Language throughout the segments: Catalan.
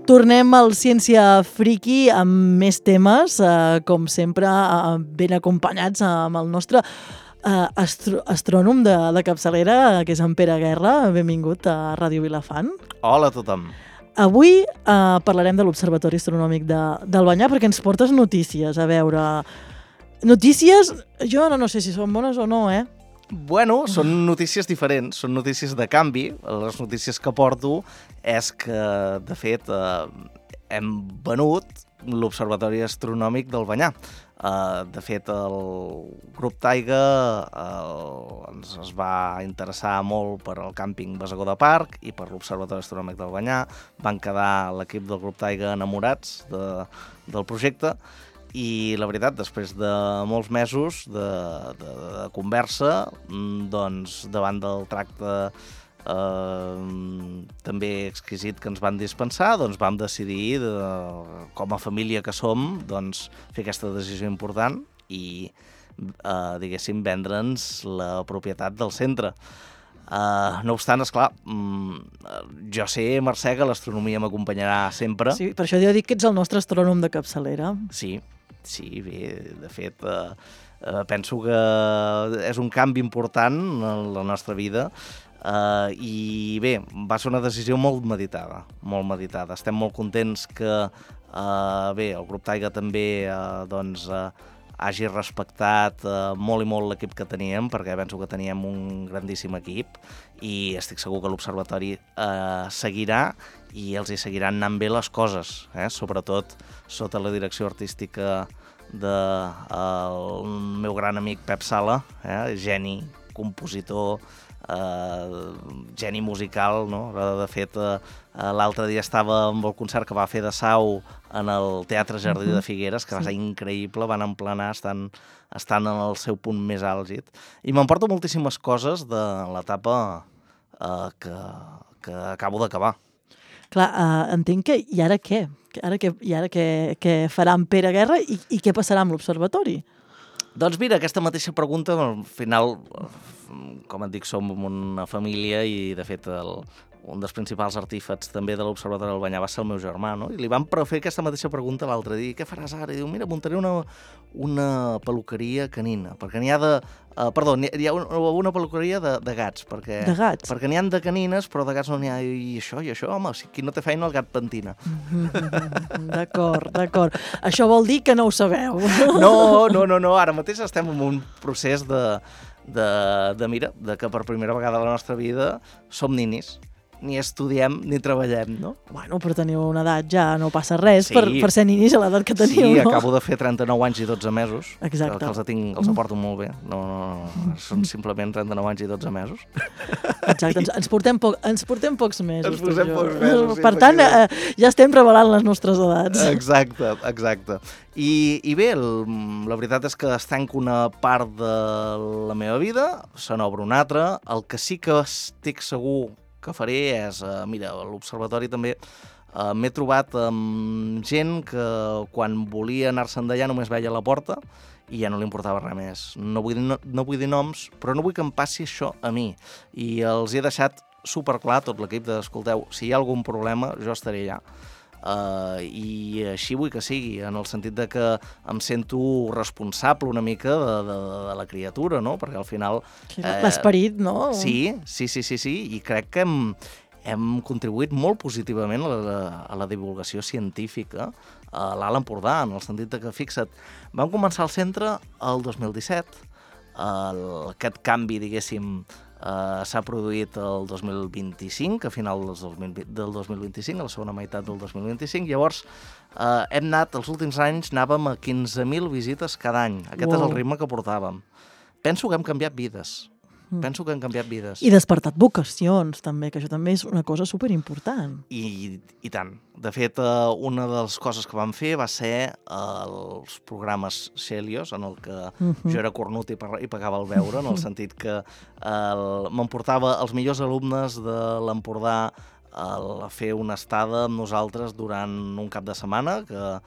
Tornem al Ciència Friki amb més temes, com sempre, ben acompanyats amb el nostre astrònom de capçalera, que és en Pere Guerra. Benvingut a Ràdio Vilafant. Hola a tothom. Avui parlarem de l'Observatori Astronòmic del Banyar perquè ens portes notícies. A veure, notícies, jo no sé si són bones o no, Bueno, són notícies diferents, són notícies de canvi. Les notícies que porto és que, de fet, hem venut l'Observatori Astronòmic del Banyar. De fet, el grup Taiga es va interessar molt per al càmping Basagó de Parc i per l'Observatori Astronòmic del Banyar. Van quedar l'equip del grup Taiga enamorats del projecte. I la veritat, després de molts mesos de conversa, doncs davant del tracte també exquisit que ens van dispensar, doncs vam decidir, com a família que som, doncs, fer aquesta decisió important i, diguéssim, vendre'ns la propietat del centre. No obstant, esclar, jo sé, Mercè, que l'astronomia m'acompanyarà sempre. Sí, per això jo dic que ets el nostre astrònom de capçalera. Sí, bé, de fet, penso que és un canvi important en la nostra vida i bé, va ser una decisió molt meditada, molt meditada. Estem molt contents que, bé, el grup Taiga també, doncs, hagi respectat molt i molt l'equip que teníem, perquè penso que teníem un grandíssim equip i estic segur que l'Observatori seguirà i els hi seguiran anant bé les coses, sobretot sota la direcció artística del meu gran amic Pep Sala, geni, compositor, geni musical, no? De fet, l'altre dia estava amb el concert que va fer de Sau en el Teatre Jardí de Figueres, que va ser increïble, van emplenar, estan en el seu punt més àlgid. I m'emporto moltíssimes coses de l'etapa que acabo d'acabar. Clar, entenc que i ara què? I ara què farà en Pere Guerra i què passarà amb l'Observatori? Doncs mira, aquesta mateixa pregunta, al final, com et dic, som una família i, de fet, un dels principals artífexs també de l'Observatori del Banyar va ser el meu germà, no? I li vam fer aquesta mateixa pregunta l'altre dia. Què faràs ara? I diu, mira, muntaré una peluqueria canina, perquè n'hi ha hi ha una peluqueria de gats, perquè... De gats? Perquè n'hi ha de canines, però de gats no n'hi ha. I això, home, si qui no té feina, el gat pentina. D'acord. Això vol dir que no ho sabeu. No, ara mateix estem en un procés de que per primera vegada a la nostra vida som ninis. Ni estudiem ni treballem, no? Bueno, però teniu una edat, ja no passa res per ser ninis a l'edat que teniu, no? Sí, no? acabo de fer 39 anys i 12 mesos. Exacte. Que els aporto molt bé. No, són simplement 39 anys i 12 mesos. Exacte, ens portem pocs mesos. Ens posem pocs mesos, sí. Per tant, ja estem revelant les nostres edats. Exacte. I bé, la veritat és que es tanca una part de la meva vida, se n'obre una altra. El que sí que estic segur que faré és, mira, a l'Observatori també m'he trobat amb gent que quan volia anar-se'n d'allà només veia la porta i ja no li importava res més. No vull dir noms, però no vull que em passi això a mi. I els he deixat superclar tot l'equip escolteu, si hi ha algun problema, jo estaré allà. I així vull que sigui, en el sentit de que em sento responsable una mica de la criatura, no? Perquè al final... L'esperit, no? Sí, i crec que hem contribuït molt positivament a la divulgació científica a l'Alt Empordà, en el sentit de que, fixa't, vam començar al centre el 2017, aquest canvi, diguéssim, s'ha produït el 2025, a final del 2025, a la segona meitat del 2025, llavors hem anat, els últims anys anàvem a 15.000 visites cada any, aquest és el ritme que portàvem. Penso que hem canviat vides, I despertat vocacions, també, que això també és una cosa superimportant. I tant. De fet, una de les coses que vam fer va ser els programes Celios, en el que jo era cornut i pagava el beure, en el sentit que m'emportava els millors alumnes de l'Empordà a fer una estada amb nosaltres durant un cap de setmana, que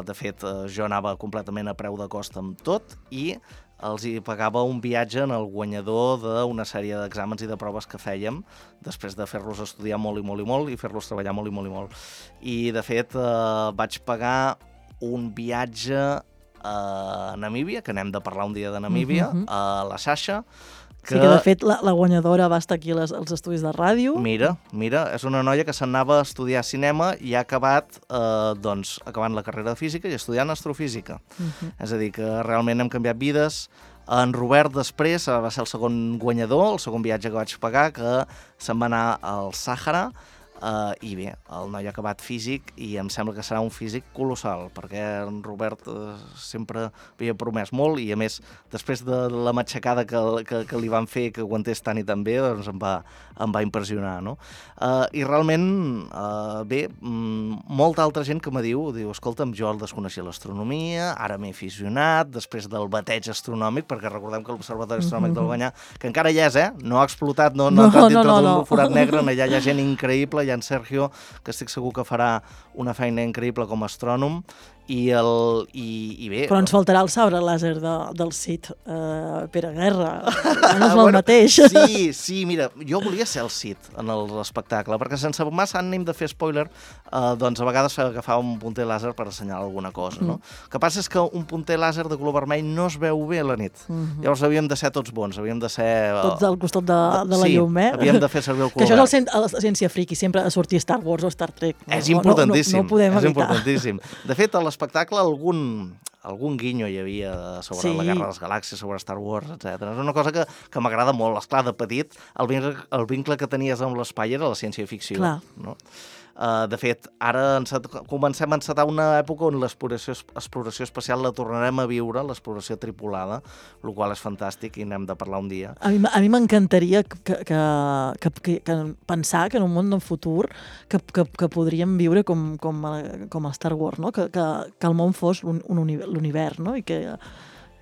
de fet jo anava completament a preu de cost amb tot i els hi pagava un viatge en el guanyador d'una sèrie d'exàmens i de proves que fèiem, després de fer-los estudiar molt i molt i molt i fer-los treballar molt i molt i molt. I, de fet, vaig pagar un viatge a Namíbia, que n'hem de parlar un dia de Namíbia, a la Sasha, Sí, que de fet la guanyadora va estar aquí als estudis de ràdio. Mira, és una noia que s'anava a estudiar cinema i ha acabat acabant la carrera de física i estudiant astrofísica. És a dir, que realment hem canviat vides. En Robert després va ser el segon guanyador, el segon viatge que vaig pagar, que se'n va anar al Sàhara, i bé, el noi ha acabat físic i em sembla que serà un físic colossal, perquè en Robert sempre havia promès molt i, a més, després de la matxacada que li van fer, que aguantés tant i tan bé, doncs em va impressionar, no? I realment, bé, molta altra gent que me diu, escolta'm, jo desconeixia l'astronomia, ara m'he aficionat, després del bateig astronòmic, perquè recordem que l'Observatori Astronòmic del Banyà, que encara hi és, no ha explotat, no ha entrat dintre del forat negre, allà hi ha gent increïble, i en Sergio, que estic segur que farà una feina increïble com a astrònom, i bé... Però ens faltarà el sabre làser del Cid, Pere Guerra. No és el mateix. Sí, mira, jo volia ser el Cid en l'espectacle, perquè sense massa ànim de fer spoiler, doncs a vegades agafava un punter làser per assenyalar alguna cosa, no? El que passa és que un punter làser de color vermell no es veu bé a la nit. Llavors havíem de ser tots bons, havíem de ser... Tots al costat de la llum, Sí, havíem de fer servir el color verd. Que això és la ciència friki, sempre a sortir Star Wars o Star Trek. És importantíssim, no ho podem evitar. És importantíssim. De fet, a l'espectacle algun guinyo hi havia sobre la Guerra de les Galàxies, sobre Star Wars, etc. És una cosa que m'agrada molt. Esclar, de petit, el vincle que tenies amb l'espai era la ciència-ficció. No? De fet, ara comencem a encetar una època on l'exploració espacial la tornarem a viure, l'exploració tripulada, el qual és fantàstic i n'hem de parlar un dia. A mi m'encantaria que pensar que en un món del futur que podríem viure com a Star Wars, no? Que el món fos l'univers, no? I que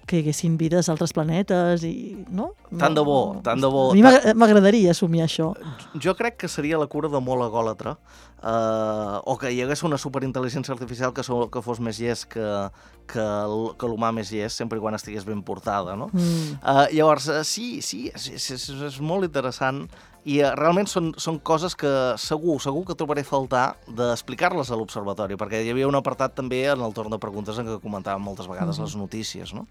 hi haguessin vides a altres planetes i... no? Tant de bo. A mi m'agradaria assumir això. Jo crec que seria la cura de molt egòlatra, o que hi hagués una superintel·ligència artificial que fos més llest que l'humà més llest, sempre quan estigués ben portada, no? Llavors, sí, és molt interessant i realment són coses que segur que trobaré a faltar d'explicar-les a l'Observatori, perquè hi havia un apartat també en el torn de preguntes en què comentàvem moltes vegades les notícies, no?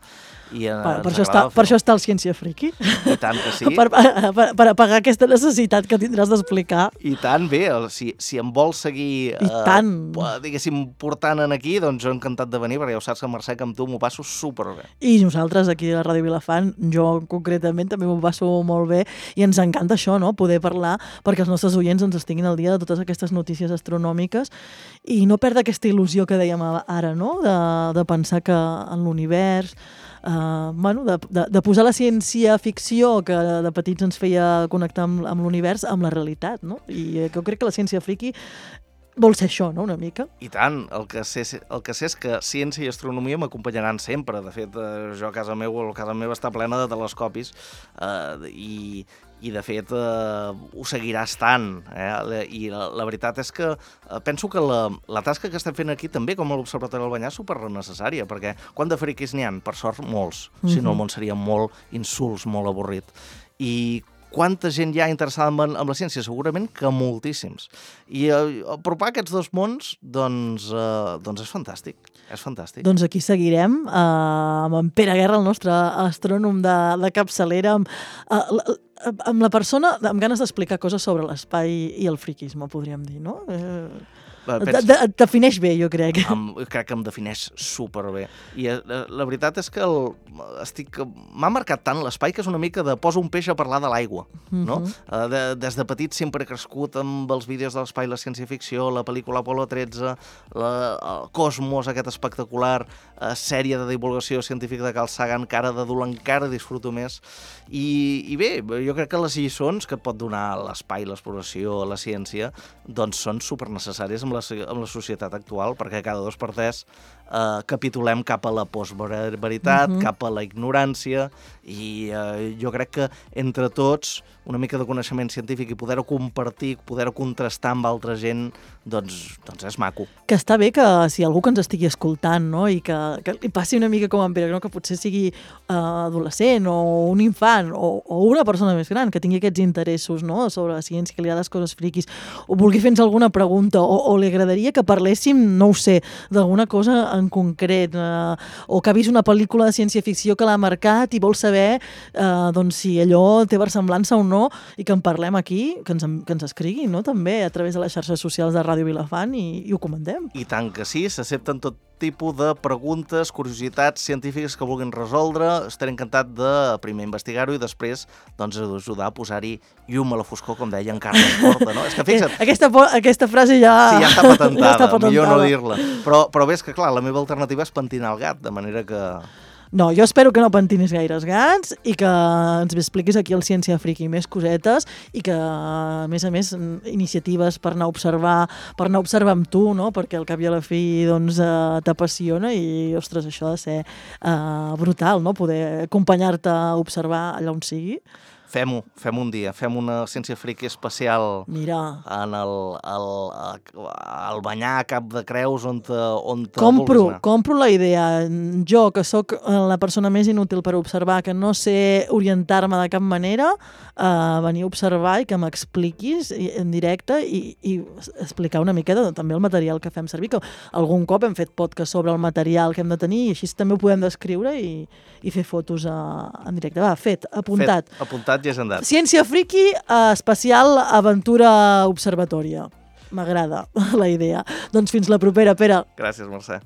Per això està el Ciència Friki. I tant que sí. Per apagar aquesta necessitat que tindràs d'explicar. I tant, bé, si em vols seguir, diguéssim, portant aquí, doncs jo encantat de venir, perquè ja ho saps que Mercè, que amb tu m'ho passo superbé. I nosaltres aquí a la Ràdio Vilafant, jo concretament també m'ho passo molt bé i ens encanta això, no? Poder parlar perquè els nostres oients ens estiguin al dia de totes aquestes notícies astronòmiques i no perdre aquesta il·lusió que dèiem ara, no? De pensar que en l'univers, de posar la ciència-ficció que de petits ens feia connectar amb l'univers, amb la realitat, no? I jo crec que la ciència friki vol ser això, no?, una mica. I tant, el que sé és que ciència i astronomia m'acompanyaran sempre. De fet, jo a casa meva està plena de telescopis i de fet ho seguirà estant. I la veritat és que penso que la tasca que estem fent aquí també, com a l'Observatori del Banyà, és supernecessària, perquè quant de friquis n'hi ha? Per sort, molts. Si no, el món seria molt insuls, molt avorrit. I quanta gent hi ha interessada en la ciència? Segurament que moltíssims. I apropar aquests dos mons, doncs és fantàstic. És fantàstic. Doncs aquí seguirem amb en Pere Guerra, el nostre astrònom de capçalera, amb la persona amb ganes d'explicar coses sobre l'espai i el friquisme, podríem dir, no? Et defineix bé, jo crec. Crec que em defineix superbé. I la veritat és que m'ha marcat tant l'espai que és una mica de posa un peix a parlar de l'aigua, no? Des de petit sempre he crescut amb els vídeos de l'espai, la ciència-ficció, la pel·lícula Apolo 13, el Cosmos, aquest espectacular sèrie de divulgació científica de Carl Sagan, que ara d'adult encara disfruto més. I bé, jo crec que les lliçons que et pot donar l'espai, l'exploració, la ciència, doncs són supernecessàries amb amb la societat actual, perquè cada 2 per 3 capitulem cap a la postveritat, cap a la ignorància, i jo crec que entre tots una mica de coneixement científic i poder-ho compartir, poder-ho contrastar amb altra gent, doncs és maco. Que està bé que si algú que ens estigui escoltant, no? I que li passi una mica com en Pere, no? Que potser sigui adolescent o un infant o una persona més gran que tingui aquests interessos, no? Sobre la ciència, que li ha les coses friquis, o vulgui fer-nos alguna pregunta, o li agradaria que parléssim, no ho sé, d'alguna cosa en concret, o que ha vist una pel·lícula de ciència-ficció que l'ha marcat i vol saber doncs, si allò té versemblança o no, i que en parlem aquí, que ens escriguin, no? També a través de les xarxes socials de Ràdio Vilafant i ho comentem. I tant que sí, s'accepten tot tipus de preguntes, curiositats científiques que vulguin resoldre. Estaré encantat de primer investigar-ho i després doncs, ajudar a posar-hi llum a la foscor, com deia en Carles Porta, no? És que fixa't... Aquesta frase ja... Sí, ja està patentada, millor no dir-la. Però bé, és que clar, la meva alternativa és pentinar el gat, de manera que... No, jo espero que no pentinis gaires gats i que ens expliquis aquí al Ciència Friki més cosetes i que, a més, iniciatives per anar a observar amb tu, no? Perquè al cap i a la fi doncs, t'apassiona i, ostres, això ha de ser brutal, no? Poder acompanyar-te a observar allà on sigui. Fem-ho un dia, fem una Ciència Friki especial. Mira. En el Banyar a Cap de Creus on Compro la idea. Jo, que sóc la persona més inútil per observar, que no sé orientar-me de cap manera, venir a observar i que m'expliquis en directe i explicar una miqueta també el material que fem servir, que algun cop hem fet podcast sobre el material que hem de tenir i així també ho podem descriure i fer fotos en directe. Va, apuntat. Apuntat i agendat. Ciència Friki, especial aventura observatòria. M'agrada la idea. Doncs fins la propera, Pere. Gràcies, Mercè.